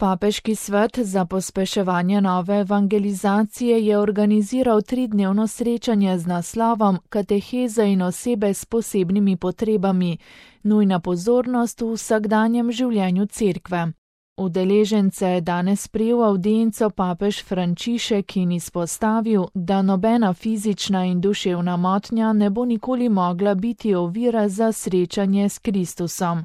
Papeški svet za pospeševanje nove evangelizacije je organiziral 3-dnevno srečanje z naslovom Kateheza in osebe s posebnimi potrebami, nujna pozornost v vsakdanjem življenju cerkve. Udeležence je danes sprejel avdienco papež Frančišek in izpostavil, da nobena fizična in duševna motnja ne bo nikoli mogla biti ovira za srečanje s Kristusom.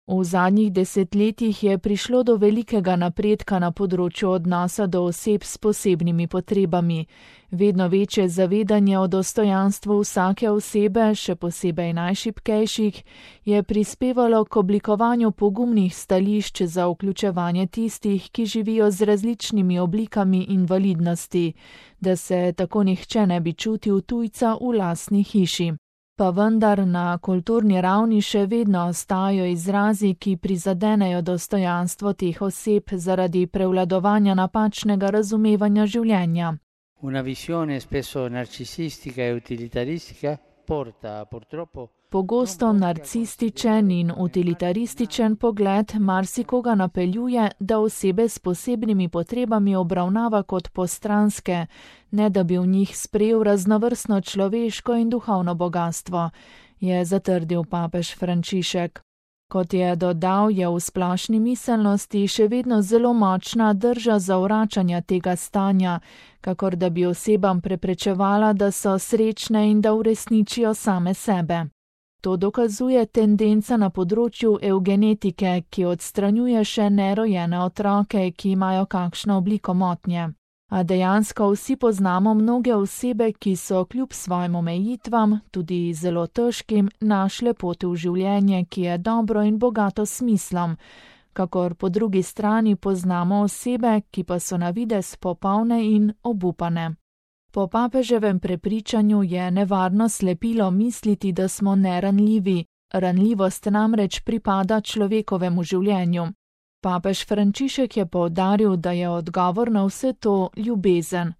V zadnjih desetletjih je prišlo do velikega napredka na področju odnosa do oseb s posebnimi potrebami. Vedno večje zavedanje o dostojanstvu vsake osebe, še posebej najšibkejših, je prispevalo k oblikovanju pogumnih stališč za vključevanje tistih, ki živijo z različnimi oblikami invalidnosti, da se tako nihče ne bi čutil tujca v lastni hiši. Pa vendar na kulturni ravni še vedno ostajajo izrazi, ki prizadenejo dostojanstvo teh oseb zaradi prevladovanja napačnega razumevanja življenja. Una visione spesso narcisistica e utilitaristica porta purtroppo Pogosto narcističen in utilitarističen pogled marsikoga napeljuje, da osebe s posebnimi potrebami obravnava kot postranske, ne da bi v njih sprejel raznovrstno človeško in duhovno bogastvo, je zatrdil papež Frančišek. Kot je dodal, je v splošni miselnosti še vedno zelo močna drža zavračanja tega stanja, kakor da bi osebam preprečevala, da so srečne in da uresničijo same sebe. To dokazuje tendenca na področju evgenetike, ki odstranjuje še nerojene otroke, ki imajo kakšno obliko motnje. A dejansko vsi poznamo mnoge osebe, ki so kljub svojim omejitvam, tudi zelo težkim, našle pot v življenje, ki je dobro in bogato s smislom, kakor po drugi strani poznamo osebe, ki pa so na videz popolne in obupane. Po papeževem prepričanju je nevarno slepilo misliti, da smo neranljivi, ranljivost namreč pripada človekovemu življenju. Papež Frančišek je poudaril, da je odgovor na vse to ljubezen.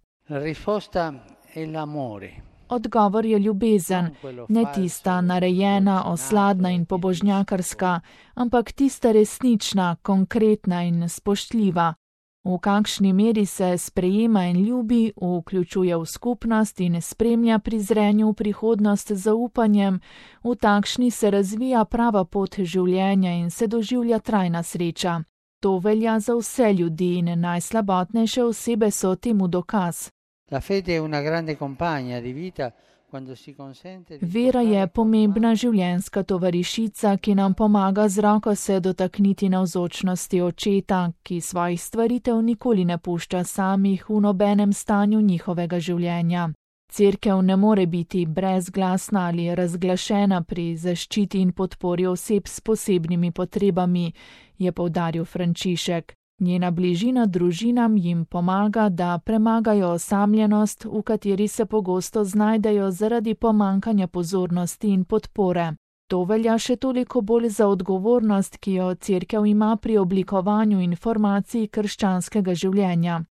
Odgovor je ljubezen, ne tista narejena, osladna in pobožnjakarska, ampak tista resnična, konkretna in spoštljiva. V kakšni meri se sprejema in ljubi, vključuje v skupnost in spremlja pri zrenju v prihodnost z zaupanjem, v takšni se razvija prava pot življenja in se doživlja trajna sreča. To velja za vse ljudi in najslabotnejše osebe so temu dokaz. Vera je pomembna življenjska tovarišica, ki nam pomaga z roko se dotakniti navzočnosti očeta, ki svojih stvaritev nikoli ne pušča samih v nobenem stanju njihovega življenja. Cerkev ne more biti brezglasna ali razglašena pri zaščiti in podpori oseb s posebnimi potrebami, je poudaril Frančišek. Njena bližina družinam jim pomaga, da premagajo osamljenost, v kateri se pogosto znajdejo zaradi pomankanja pozornosti in podpore. To velja še toliko bolj za odgovornost, ki jo cerkev ima pri oblikovanju informacij krščanskega življenja.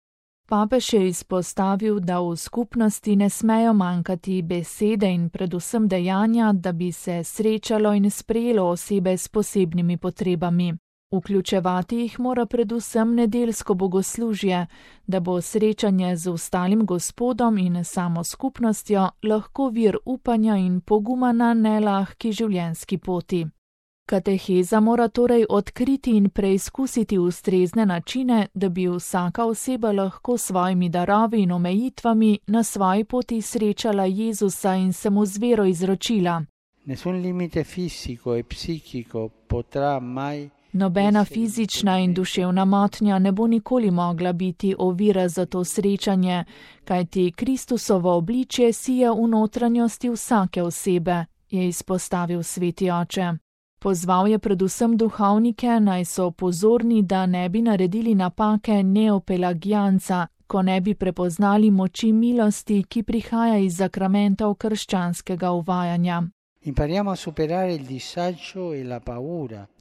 Papež je izpostavil, da v skupnosti ne smejo manjkati besede in predvsem dejanja, da bi se srečalo in sprejelo osebe s posebnimi potrebami. Vključevati jih mora predvsem nedeljsko bogoslužje, da bo srečanje z ostalim Gospodom in samo skupnostjo lahko vir upanja in poguma na nelahki življenjski poti. Kateheza mora torej odkriti in preizkusiti ustrezne načine, da bi vsaka oseba lahko s svojimi darovi in omejitvami na svoji poti srečala Jezusa in se mu z vero izročila. Nobena fizična in duševna motnja ne bo nikoli mogla biti ovira za to srečanje, kajti Kristusovo obličje sije v notranjosti vsake osebe, je izpostavil sveti oče. Pozval je predvsem duhovnike, naj so pozorni, da ne bi naredili napake neopelagijanca, ko ne bi prepoznali moči milosti, ki prihaja iz zakramentov krščanskega uvajanja.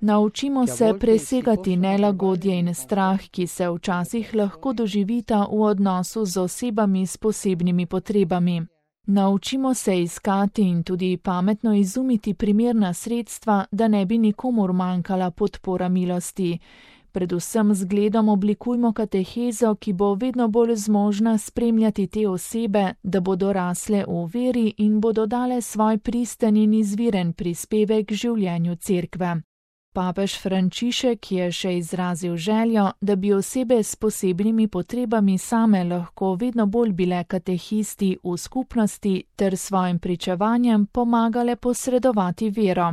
Naučimo se presegati nelagodje in strah, ki se včasih lahko doživita v odnosu z osebami s posebnimi potrebami. Naučimo se iskati in tudi pametno izumiti primerna sredstva, da ne bi nikomur manjkala podpora milosti. Predvsem z zgledom oblikujmo katehezo, ki bo vedno bolj zmožna spremljati te osebe, da bodo rasle v veri in bodo dale svoj pristen in izviren prispevek življenju cerkve. Papež Frančišek je še izrazil željo, da bi osebe s posebnimi potrebami same lahko vedno bolj bile katehisti v skupnosti ter svojim pričevanjem pomagale posredovati vero.